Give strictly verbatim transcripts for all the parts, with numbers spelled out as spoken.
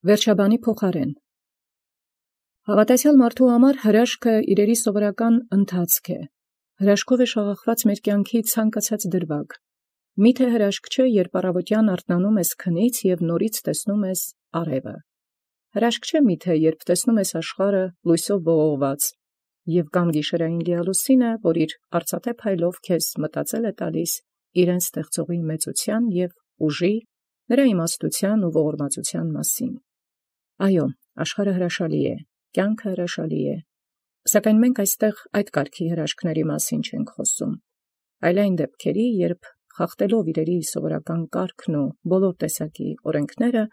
Վերջաբանի փոխարեն Հավատացյալ մարդու համար հրաշքը իրերի սովորական ընթացք է։ Հրաշքով է շաղախված մեր կյանքի ցանկացած դրվագ։ Միթե հրաշք չէ, երբ առավոտյան արթնանում ես քնից և նորից տեսնում ես արևը։ Հրաշք չէ միթե, երբ տեսնում ես աշխարհը լույսով ողողված, և կամ գիշերային լիալուսինը, որ իր արծաթե փայլով քեզ մտածել է տալիս իրեն ստեղծողի մեծության և ուժի, նրա իմաստության ու ողորմածության մասին։ Այո, աշխարհը հրաշալի է, կյանքը հրաշալի է, սակայն մենք այստեղ այդ կարգի հրաշքների մասին չենք խոսում, այլ այն դեպքերի, երբ խախտելով իրերի սովորական կարգն ու բոլոր տեսակի օրենքները,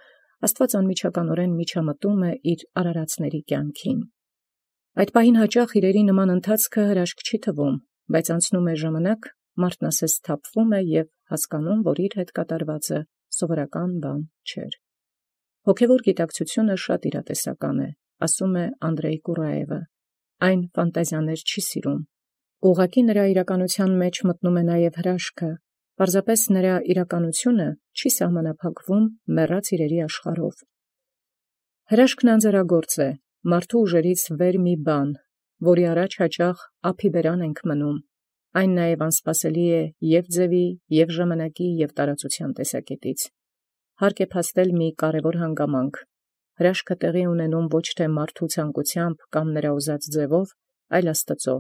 Աստված անմիջականորեն միջամտում է իր արարածների կյանքին։ Այդ պահին հաճախ իրերի նման ընթացքը հրաշք չի թվում, բայց անցնում է ժամանակ, մարդն ասես սթափվում է և հասկանում, որ իր հետ կատարվածը սովորական բան չէր։ Հոգևոր գիտակցությունը շատ իրատեսական է, ասում է Անդրեյ Կուրաևը, այն ֆանտազիաներ չի սիրում։ Ուղղակի նրա իրականության մեջ մտնում է նաև հրաշքը, պարզապես նրա իրականությունը չի սահմանափակվում մեռած իրերի աշխարհով։ Հրաշքն անձեռագործ է, մարդու ուժերից վեր մի բան, որի առաջ հաճախ ափի բերան ենք մնում։ Այն նաև անսպասելի է և ձևի, և ժամանակի, և տարածության տեսակետից։ Հարկ է փաստել մի կարևոր հանգամանք. հրաշքը տեղի ունենում ոչ թե մարդու ցանկությամբ կամ նրա ուզած ձևով, այլ Աստծո։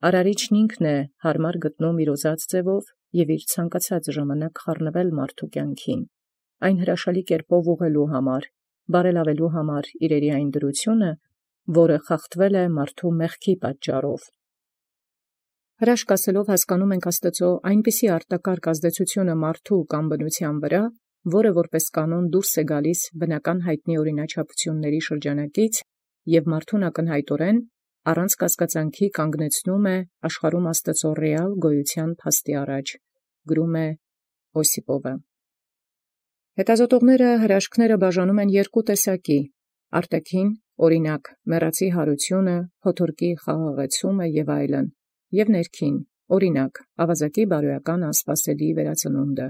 Արարիչն ինքն է հարմար գտնում իր ուզած ձևով և իր ցանկացած ժամանակ խառնվել մարդու կյանքին, այն հրաշալի կերպով ուղղելու համար, բարելավելու համար իրերի այն դրությունը, որը խախտվել է մարդու մեղքի պատճառով։ Հրաշք ասելով հասկանում ենք Աստծո այնպիսի արտակարգ ազդեցությունը մարդու կամ բնության վրա, որը որպես կանոն դուրս է գալիս բնական հայտնի օրինաչափությունների շրջանակից և մարդուն ակնհայտորեն առանց կասկածանքի կանգնեցնում է աշխարհում Աստծո ռեալ գոյության փաստի առաջ, գրում է Օսիպովը։ Հետազոտողները հրաշքները բաժանում են երկու տեսակի՝ արտաքին, օրինակ, մեռածի հարությունը, փոթորկի խաղաղեցումը և այլն, և ներքին, օրինակ, ավազակի բարոյական անսպասելի վերածնունդը,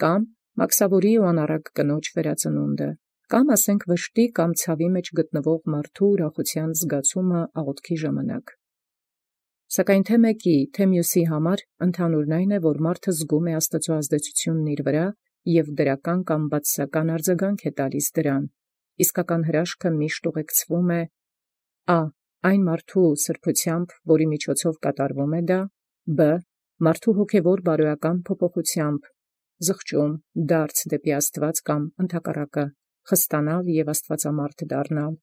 կամ մաքսավորի ու անառակ կնոջ վերածնունդը, կամ ասենք վշտի կամ ցավի մեջ գտնվող մարդու ուրախության զգացումը աղոթքի ժամանակ։ Սակայն թե մեկի, թե մյուսի համար ընդհանուրն այն է, որ մարդը զգում է Աստծո ազդեցությունն իր վրա և դրական կամ բացասական արձագանք է տալիս դրան, իսկական հրաշքը միշտ ուղեկցվում է ա. այն մարդու սրբությամբ, որի միջոցով կատարվում է դա, բ. մարդու հոգևոր բարոյական փոփոխությամբ, զղջում, դարձ դեպի Աստված կամ ընդհակառակը, խստանալ և աստվածամարդ դառնալ։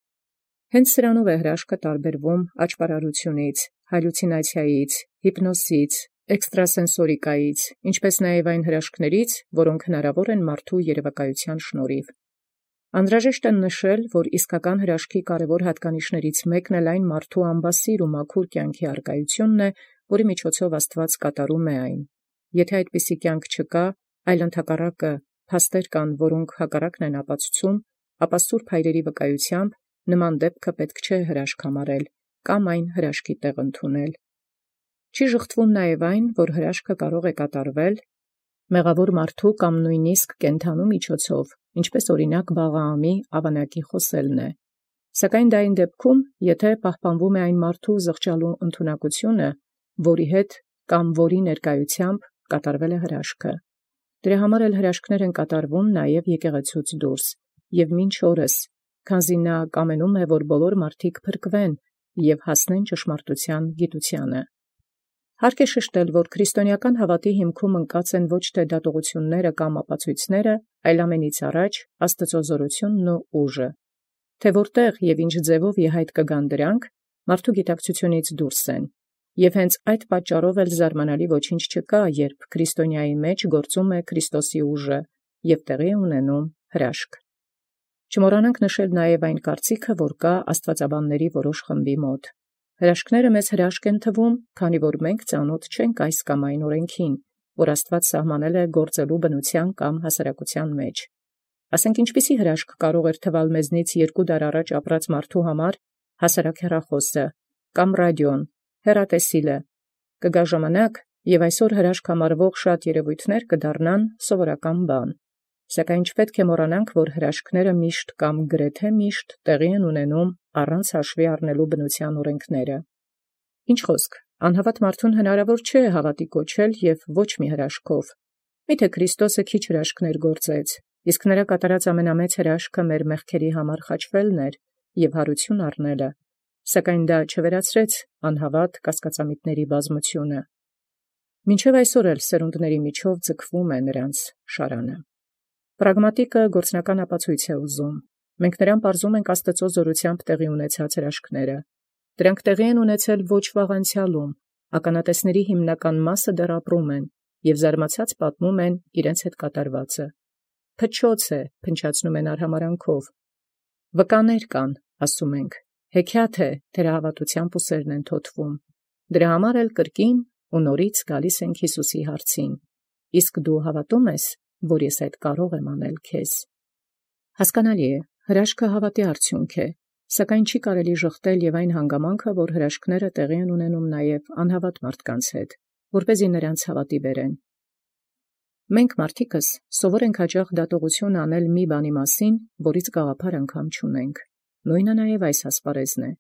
Հենց սրանով է հրաշքը տարբերվում աճպարարությունից, հալյուցինացիայից, հիպնոսից, էքստրասենսորիկայից, ինչպես նաև այն հրաշքներից, որոնք հնարավոր են մարդու երևակայության շնորհիվ։ Անհրաժեշտ է նշել, որ իսկական հրաշքի կարևոր հատկանիշներից մեկն էլ այն մարդու անբասիր ու մաքուր կյանքի առկայությունն է, որի միջոցով Աստված կատարում է այն։ Եթե այդպիսի կյանք չկա, այլ ընդհակառակը փաստեր կան, որոնք հակառակն են ապացուցում, ապա սուրբ հայրերի վկայությամբ նման դեպքը պետք չէ հրաշք համարել կամ այն հրաշքի տեղ ընդունել։ Չի ժխտվում նաև այն, որ հրաշքը կարող է կատարվել մեղավոր մարդու կամ նույնիսկ կենդանու միջոցով, ինչպես օրինակ Բաղաամի ավանակի խոսելն է։ Սակայն դա այն դեպքում, եթե պահպանվում է այն մարդու զղջալու ընդունակությունը, որի հետ կամ որի ներկայությամբ կատարվել է հրաշքը։ Դրա համար էլ հրաշքներ են կատարվում նաև եկեղեցուց դուրս, և մինչ օրս, քանզի նա կամենում է, որ բոլոր մարդիկ փրկվեն և հասնեն ճշմարտության գիտությանը։ Հարկ է շեշտել, որ քրիստոնեական հավատի հիմքում ընկած են ոչ թե դատողությունները կամ ապացույցները, այլ ամենից առաջ Աստծո զորությունն ու ուժը։ Թե որտեղ և ինչ ձևով իհայտ կգան դրանք, մարդու գիտակցությունից դուրս են, և հենց այդ պատճառով էլ զարմանալի ոչինչ չկա, երբ քրիստոնյայի մեջ գործում է Քրիստոսի ուժը և տեղի է ունենում հրաշք։ Չմոռանանք նշել նաև այն կարծիքը, որ կա աստվածաբանների որոշ խմբի մոտ։ Հրաշքները մեզ հրաշք են թվում, քանի որ մենք ծանոթ չենք այս կամ այն օրենքին, որ Աստված սահմանել է գործելու բնության կամ հասարակության մեջ։ Ասենք ինչպիսի հրաշք կարող էր թվալ մեզնից երկու դար առաջ ապրած մարդու համար հասարակ հեռախոսը կամ ռադիոն, հեռատեսիլը։ Կգա ժամանակ, և այսօր հրաշք համարվող շատ երևույթներ կդառնան սովորական բան։ Սակայն չպետք է մոռանանք, որ հրաշքները միշտ կամ գրեթե միշտ տեղի են ունենում առանց հաշվի առնելու բնության օրենքները։ Ինչ խոսք, անհավատ մարդուն հնարավոր չէ հավատի կոչել և ոչ մի հրաշքով։ Միթե Քրիստոսը քիչ հրաշքներ գործեց, իսկ նրա կատարած ամենամեծ հրաշքը մեր մեղքերի համար խաչվելն էր և հարություն առնելը, սակայն դա չվերացրեց անհավատ կասկածամիտների բազմությունը։ Մինչև այսօր էլ սերունդների միջով ձգվում է նրանց շարանը։ Պրագմատիկը գործնական ապացույց է ուզում։ Մենք նրան պարզում ենք Աստծո զորությամբ տեղի ունեցած հրաշքները։ Դրանք տեղի են ունեցել ոչ վաղ անցյալում, ականատեսների հիմնական մասը դեռ ապրում են և զարմացած պատմում են իրենց հետ կատարվածը։ Փչոց է, փնչացնում են արհամարանքով։ Վկաներ կան, ասում ենք, հեքիաթ է, թերահավատությամբ ուսերն են թոթվում։ Դրա համար էլ կրկին ու նորից գալիս ենք Հիսուսի հարցին. իսկ դու հավատում ես, որ ես այդ կարող եմ անել քեզ։ Հասկանալի է, հրաշքը հավատի արդյունք է, սակայն չի կարելի ժխտել և այն հանգամանքը, որ հրաշքները տեղի են ունենում նաև անհավատ մարդկանց հետ, որպեսզի նրանց հավատի բերեն։ Մենք մարդիկս սովոր ենք հաճախ դատողություն անել մի բանի մասին, որից գաղափար անգամ չունենք։ Նույնը նաև այս ասպարեզն է։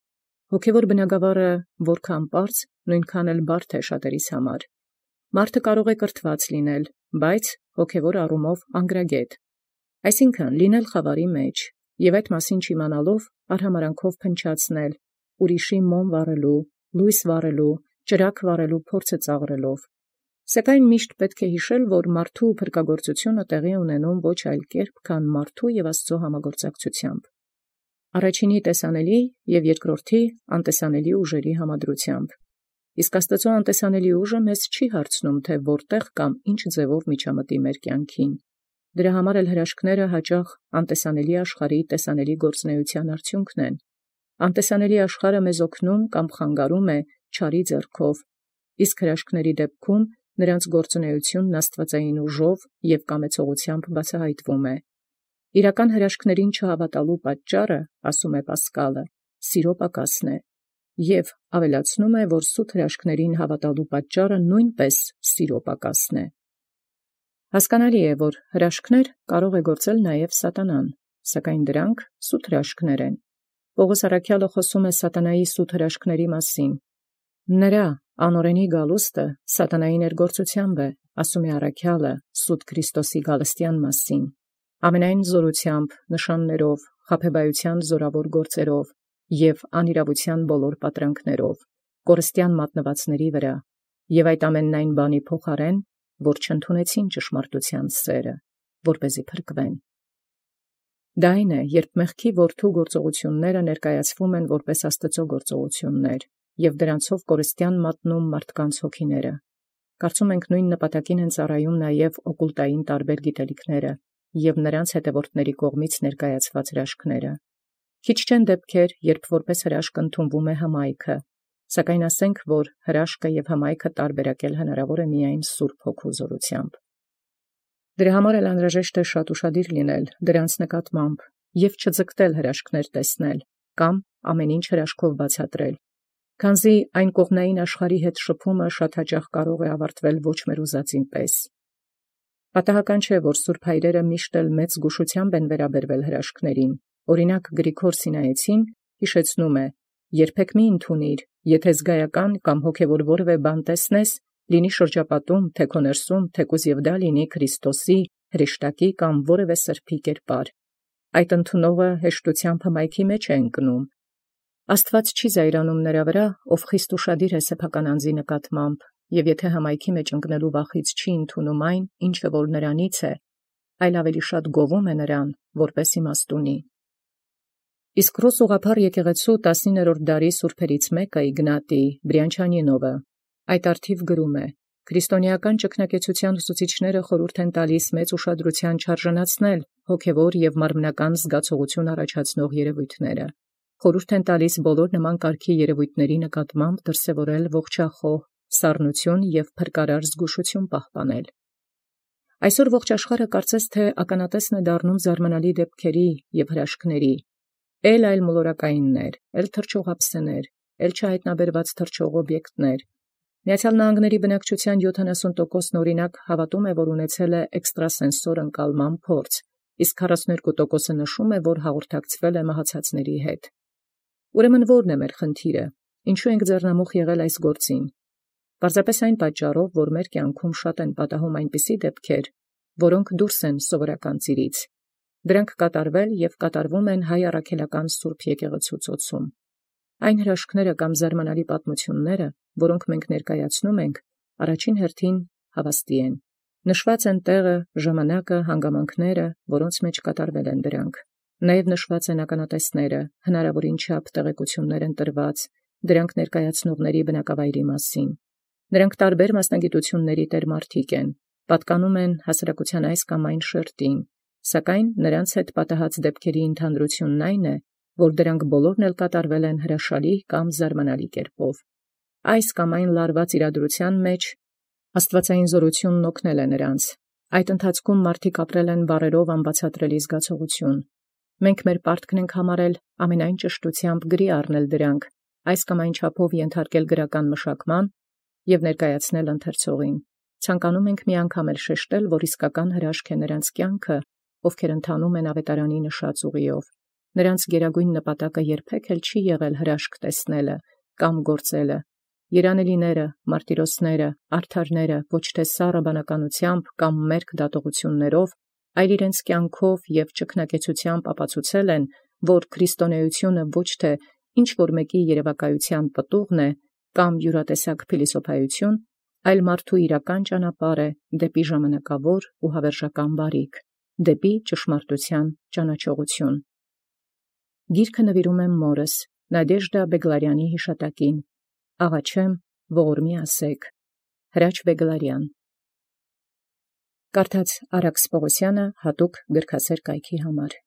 Հոգևոր բնագավառը որքան պարզ, նույնքան էլ բարդ է շատերիս համար։ Մարդը կարող է կրթված լինել, բայց հոգևոր առումով անգրագետ, այսինքն լինել խավարի մեջ և այդ մասին չիմանալով արհամարանքով փնչացնել, ուրիշի մոմ վառելու, լույս վառելու, ճրագ վառելու փորձը ծաղրելով։ Սակայն միշտ պետք է հիշել, որ մարդու փրկագործությունը տեղի է ունենում ոչ այլ կերպ, քան մարդու և Աստծո համագործակցությամբ։ Առաջինի տեսանելի և երկրորդի անտեսանելի ուժերի համադրությամբ։ Իսկ Աստծո անտեսանելի ուժը մեզ չի հարցնում, թե որտեղ կամ ինչ ձևով միջամտի մեր կյանքին։ Դրա համար էլ հրաշքները հաճախ անտեսանելի աշխարհի տեսանելի գործունեության արդյունքն են։ Անտեսանելի աշխարհը մեզ օգնում կամ խանգարում է չարի ձեռքով, իսկ հրաշքների դեպքում նրանց գործունեությունն աստվածային ուժով և կամեցողությամբ բացահայտվում է։ Իրական հրաշքներին չհավատալու պատճառը, ասում է Պասկալը, սիրո պակասն է, և ավելացնում է, որ սուտ հրաշքներին հավատալու պատճառը նույնպես սիրո պակասն է։ Հասկանալի է, որ հրաշքներ կարող է գործել նաև սատանան, սակայն դրանք սուտ հրաշքներ են։ Պողոս առաքյալը խոսում է սատանայի սուտ հրաշքների մասին։ Նրա անօրենի գալուստը սատանայի ներգործությամբ է, ասում է առաքյալը սուտ Քրիստոսի գալստյան մասին, ամենայն զորությամբ, նշաններով, խաբեբայության զորավոր գործերով և անիրավության բոլոր պատրանքներով, կորստյան մատնվածների վրա, և այդ ամենն այն բանի փոխարեն, որ չընդունեցին ճշմարտության սերը, որպեսզի փրկվեն։ Դա այն է, երբ մեղքի որդու գործողությունները ներկայացվում են որպես Աստծո գործողություններ, և դրանցով կորստյան մատնում մարդկանց հոգիները։ Կարծում ենք նույն նպատակին են ծառայում նաև օկուլտային տարբեր գիտելիքները և նրանց հետևորդների կողմից ներկայացված հրաշքները։ Քիչ չեն դեպքեր, երբ որպես հրաշք ընդունվում է հմայքը, սակայն ասենք, որ հրաշքը և հմայքը տարբերակել հնարավոր է միայն Սուրբ Հոգու զորությամբ։ Դրա համար էլ անհրաժեշտ է շատ ուշադիր լինել դրանց նկատմամբ և չձգտել հրաշքներ տեսնել կամ ամեն ինչ հրաշքով բացատրել, քանզի այն կողմնային աշխարհի հետ շփումը շատ հաճախ կարող է ավարտվել ոչ մեր ուզածին պես։ Պատահական չէ, որ սուրբ հայրերը միշտ էլ մեծ զգուշությամբ են վերաբերվել հրաշքներին։ Օրինակ Գրիգոր Սինայեցին հիշեցնում է. «Երբեք մի ընդունիր, եթե զգայական կամ հոգևոր որևէ բան տեսնես, լինի շրջապատում, թե քո ներսում, թեկուզ և դա լինի Քրիստոսի, հրեշտակի կամ որևէ սրբի կերպար։ Այդ ընդունողը հեշտությամբ հմայքի մեջ է ընկնում։ Աստված չի զայրանում նրա վրա, ով խիստ ուշադիր է սեփական անձի նկատմամբ, և եթե հմայքի մեջ ընկնելու վախից չի ընդունում այն, ինչը որ նրանից է, այլ ավելի շատ գովում է նրան, որպես իմաստունի»։ Իսկ ռուս ուղղափառ եկեղեցու տասիններորդ դարի սուրբերից մեկը Իգնատի Բրյանչանինովը այդ առթիվ գրում է. «Քրիստոնեական ճգնակեցության ուսուցիչները խորհուրդ են տալիս մեծ ուշադրության չարժանացնել հոգևոր և մարմնական զգացողություն առաջացնող երևույթները։ Խորհուրդ են տալիս բոլոր նման կարգի երևույթների նկատմամբ դրսևորել ողջախոհ սառնություն և փրկարար զգուշություն պահպանել։ Այսօր ողջ աշխարհը կարծես թե ականատեսն է դառնում զարմանալի դեպքերի և հրաշքների, էլ այլ մոլորակայիններ, էլ թռչող ափսեներ, էլ չհայտնաբերված թռչող օբյեկտներ, Միացյալ Նահանգների բնակչության յոթանասուն տոկոսն օրինակ հավատում է, որ ունեցել է էքստրասենսոր ընկալման փորձ, իսկ քառասունութ տոկոսը նշում է, որ հաղորդակցվել է մահացածների հետ։ Ուրեմն ո՞րն է մեր խնդիրը, ինչու ենք ձեռնամուխ եղել այս գործին։ Պարզապես այն պատճառով, որ մեր կյանքում շատ են պատահում այնպիսի դեպքեր, որոնք դուրս են սովորական ծիրից։ Դրանք կատարվել և կատարվում են հայ առաքելական Սուրբ եկեղեցու ծոցում։ Այն հրաշքները կամ զարմանալի պատմությունները, որոնք մենք ներկայացնում ենք, առաջին հերթին հավաստի են։ Նշված են տեղը, ժամանակը, հանգամանքները, որոնց մեջ կատարվել են դրանք։ Նաև նշված են ականատեսները, հնարավորին չափ տեղեկություններ են տրված, դրանք ներկայացնողների բնակավայրի մասին։ Նրանք տարբեր մասնագիտությունների տերմարդիկ են, պատկանում են հասարակության այս կամ այն շերտին, սակայն նրանց հետ պատահած դեպքերի ընդհանրությունն այն է, որ դրանք բոլորն էլ կատարվել են հրաշալի կամ զարմանալի կերպով։ Այս կամ այն լարված իրադրության մեջ աստվածային զորությունն օգնել է նրանց։ Այդ ընթացքում մարդիկ ապրել են բառերով անբացատրելի զգացողություն։ Մենք մեր պարտքն ենք համարել ամենայն ճշտությամբ գրի առնել դրանք, այս կամ այն չափով ենթարկել գրական մշակման և ներկայացնել ընթերցողին։ Ցանկանում ենք մի անգամ էլ շեշտել, որ իսկական հրաշք է նրանց կյանքը, ովքեր ընթանում են ավետարանի նշած ուղիով։ Նրանց գերագույն նպատակը երբեք էլ չի եղել հրաշք տեսնելը կամ գործելը։ Երանելիները, մարտիրոսները, արդարները ոչ թե սառը բանականությամբ կամ մերկ դատողություններով, այլ իրենց կյանքով և ճգնակեցությամբ ապացուցել են, որ քրիստոնեությունը ոչ թե ինչ որ մեկի երևակայության պտուղն է կամ յուրատեսակ փիլիսոփայություն, այլ մարդու իրական ճանապարհ է դեպի ժամանակավոր ու հավերժական բարիք, դեպի ճշմարտության ճանաչողություն։ Գիրքը նվիրում եմ մորս, Նադեժդա Բեգլարյանի հիշատակին, աղաչեմ ողորմի ասեք, Հրաչ Բեգլարյան։ Կարդաց Արաքս Պողոսյանը հատուկ գրքասեր կայքի համար։